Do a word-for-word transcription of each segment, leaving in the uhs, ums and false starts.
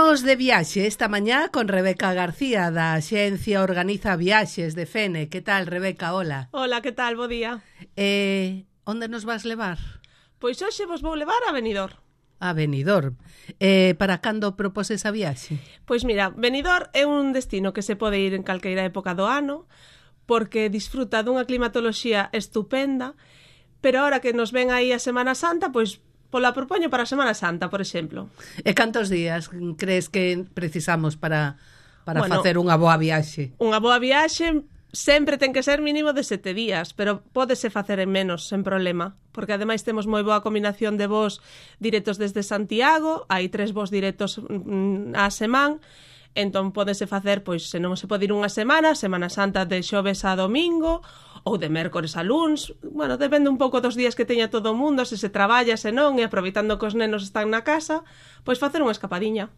Imos de viaxe esta mañá con Rebeca García da Axencia Organiza Viaxes de Fene. Que tal, Rebeca? Hola. Hola, que tal? Bo día. Eh, onde nos vas levar? Pois hoxe vos vou levar a Benidorm. A Benidorm. Eh, para cando proposes a viaxe? Pois mira, Benidorm é un destino que se pode ir en calqueira época do ano porque disfruta dunha climatoloxía estupenda, pero ahora que nos ven aí a Semana Santa, pois pola propoño para a Semana Santa, por exemplo. E cantos días crees que precisamos para, para bueno, facer unha boa viaxe? Unha boa viaxe sempre ten que ser mínimo de sete días, pero pódese facer en menos, sen problema, porque ademais temos moi boa combinación de voos directos desde Santiago, hai tres voos directos á semana, entón pódese facer, pois, se non se pode ir unha semana, Semana Santa de xoves a domingo, ou de mércores a luns, bueno, depende un pouco dos días que teña todo o mundo, se se traballa, se non, e aproveitando que os nenos están na casa, pois facer unha escapadiña.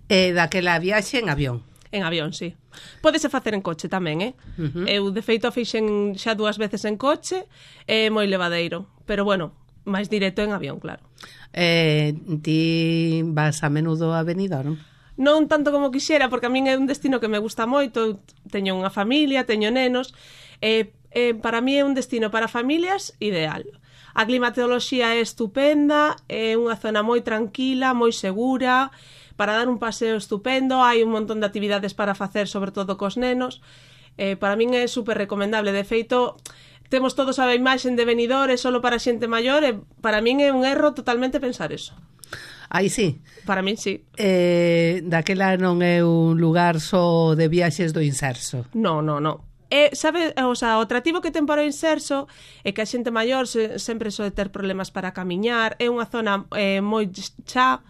E daquela viaxe en avión? En avión, sí. Pódese facer en coche tamén, eh? Uh-huh. Eu, de feito, fixen xa dúas veces en coche, é moi levadeiro, pero bueno, máis directo en avión, claro. Eh, ti vas a menudo a Benidorm? Non tanto como quixera, porque a min é un destino que me gusta moito, teño unha familia, teño nenos, e eh, para mí é un destino para familias ideal. A climatoloxía é estupenda, é unha zona moi tranquila, moi segura, para dar un paseo estupendo, hai un montón de actividades para facer, sobre todo cos nenos. Eh, para min é super recomendable, de feito, temos todos a imaxe de Benidorm, é solo para xente maior, e para min é un erro totalmente pensar eso. Aí sí. Para min sí. Eh, daquela non é un lugar só de viaxes do Inserso. No, no, no. E, sabe, o, sea, o atractivo que ten para o Inserso é que a xente maior se, sempre soe ter problemas para camiñar, é unha zona eh, moi xa,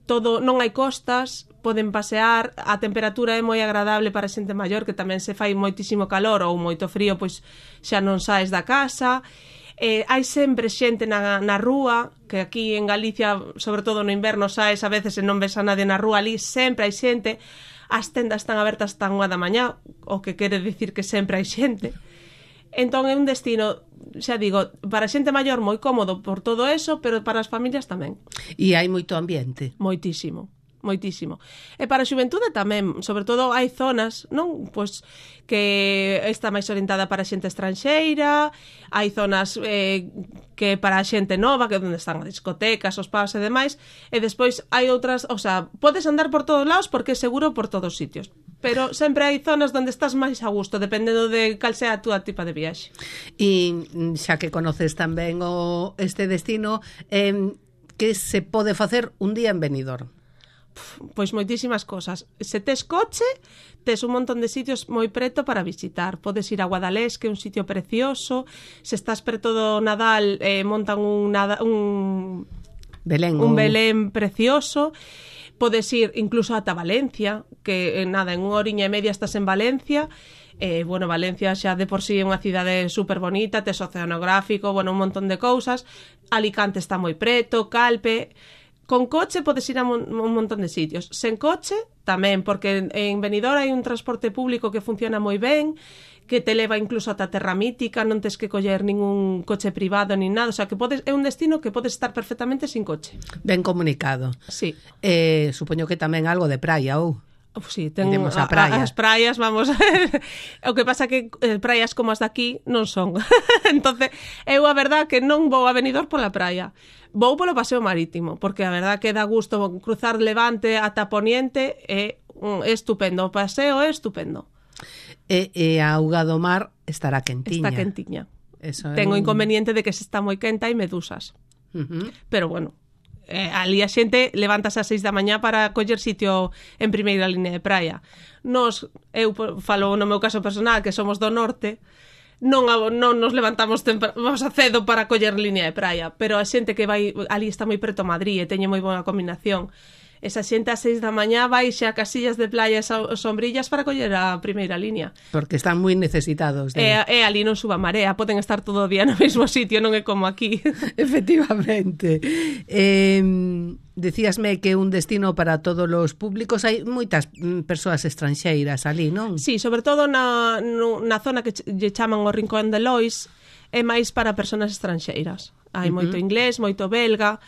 todo, non hai costas, poden pasear, a temperatura é moi agradable para a xente maior, que tamén se fai moitísimo calor ou moito frío, pois xa non saes da casa. Eh, hai sempre xente na, na rúa, que aquí en Galicia, sobre todo no inverno, saes a veces e non ves a nadie na rúa, ali sempre hai xente. As tendas están abertas hasta unha da mañá, o que quere dicir que sempre hai xente. Entón é un destino, xa digo, para xente maior moi cómodo por todo eso, pero para as familias tamén. E hai moito ambiente? Moitísimo. Moitísimo. E para a xuventude tamén, sobre todo hai zonas, non, pois que está máis orientada para a xente estranxeira, hai zonas eh, que para a xente nova, que é onde están as discotecas, os pubs e demais, e despois hai outras, o sea, podes andar por todos lados porque é seguro por todos os sitios, pero sempre hai zonas onde estás máis a gusto, dependendo de cal sea a túa tipa de viaxe. E xa que conoces tamén o este destino, eh, que se pode facer un día en Benidorm? Pois moitísimas cosas. Se tes coche, tes un montón de sitios moi preto para visitar. Podes ir a Guadalés, que é un sitio precioso. Se estás preto do Nadal, eh, montan un, nada, un Belén, un Belén precioso. Podes ir incluso ata Valencia, que eh, nada, en unha horiña e media estás en Valencia. Eh, bueno, Valencia xa de por sí é unha cidade super bonita, tes oceanográfico, bueno, un montón de cousas. Alicante está moi preto, Calpe. Con coche podes ir a un, un montón de sitios. Sen coche, tamén, porque en Benidorm hai un transporte público que funciona moi ben, que te leva incluso ata Terra Mítica, non tes que coller ningún coche privado ni nada, o sea, que podes, é un destino que podes estar perfectamente sin coche. Ben comunicado. Sí. Eh, supoño que tamén algo de praia, ou? Uf, sí, ten a praia. A, as praias, vamos. O que pasa que eh, praias como as daqui non son. Entonces, eu a verdad que non vou a Benidorm pola praia. Vou polo paseo marítimo, porque a verdad que dá gusto cruzar Levante ata Poniente, é, é estupendo. O paseo é estupendo. E, e a auga do mar estará quentiña. Está quentiña. Eso Ten o un... inconveniente de que se está moi quenta e medusas. Uh-huh. Pero bueno, eh, ali a xente levántase ás seis da mañá para coller sitio en primeira línea de praia. Nos, eu falo no meu caso personal, que somos do norte, non, non nos levantamos vamos a cedo para coller línea de praia, pero a xente que vai ali está moi preto a Madrid e teñe moi boa combinación. Esa xente a seis da mañá vai xa a casillas de playa e sombrillas para coller a primeira línea. Porque están moi necesitados. De... E, e ali non suba marea, poden estar todo o día no mesmo sitio, non é como aquí. Efectivamente. Eh, decíasme que un destino para todos os públicos, hai moitas persoas estranxeiras ali, non? Sí, sobre todo na, no, na zona que lle chaman o Rincón de Lois, é máis para persoas estranxeiras. Hai uh-huh. moito inglés, moito belga.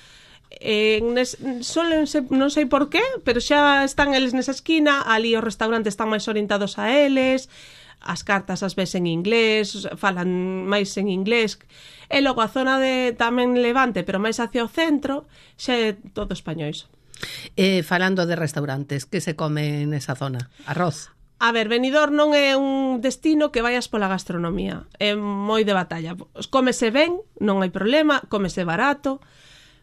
eh, nes, solen se, non sei por qué, pero xa están eles nesa esquina, ali os restaurantes están máis orientados a eles, as cartas as ves en inglés, falan máis en inglés, e logo a zona de tamén Levante, pero máis hacia o centro, xa é todo españois. Eh, falando de restaurantes, que se come nesa zona? Arroz? A ver, Benidorm non é un destino que vayas pola gastronomía. É moi de batalla. Cómese ben, non hai problema, cómese barato,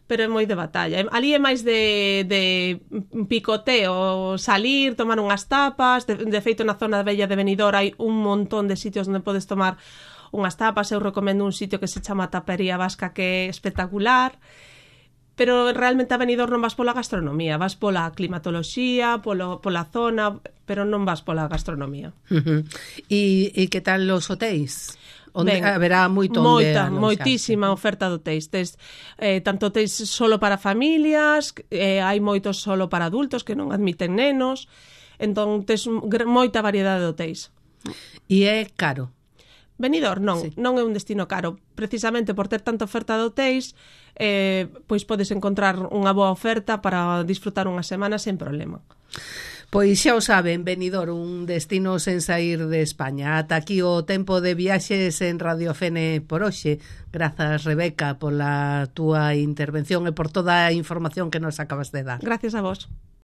pero é moi de batalla. Ali é máis de, de picoteo, salir, tomar unhas tapas. De, de feito, na zona bella de Benidorm hai un montón de sitios onde podes tomar unhas tapas. Eu recomendo un sitio que se chama Tapería Vasca, que é espectacular. Pero realmente a Benidorm non vas pola gastronomía, vas pola climatoloxía, polo, pola zona, pero non vas pola gastronomía. Uh-huh. E, e que tal os hotéis? Onde Ben, haberá moito moita, onde moitísima oferta de hotéis. Tes, eh, tanto hotéis solo para familias, eh, hai moitos solo para adultos que non admiten nenos, entón tes moita variedade de hotéis. E é caro? Benidorm non, sí. non é un destino caro. Precisamente por ter tanta oferta de hotéis, eh, pois podes encontrar unha boa oferta para disfrutar unha semana sen problema. Pois xa o saben, Benidorm, un destino sen sair de España. Ata aquí o tempo de viaxes en Radio Fene por hoxe. Grazas, Rebeca, pola túa intervención e por toda a información que nos acabas de dar. Gracias a vos.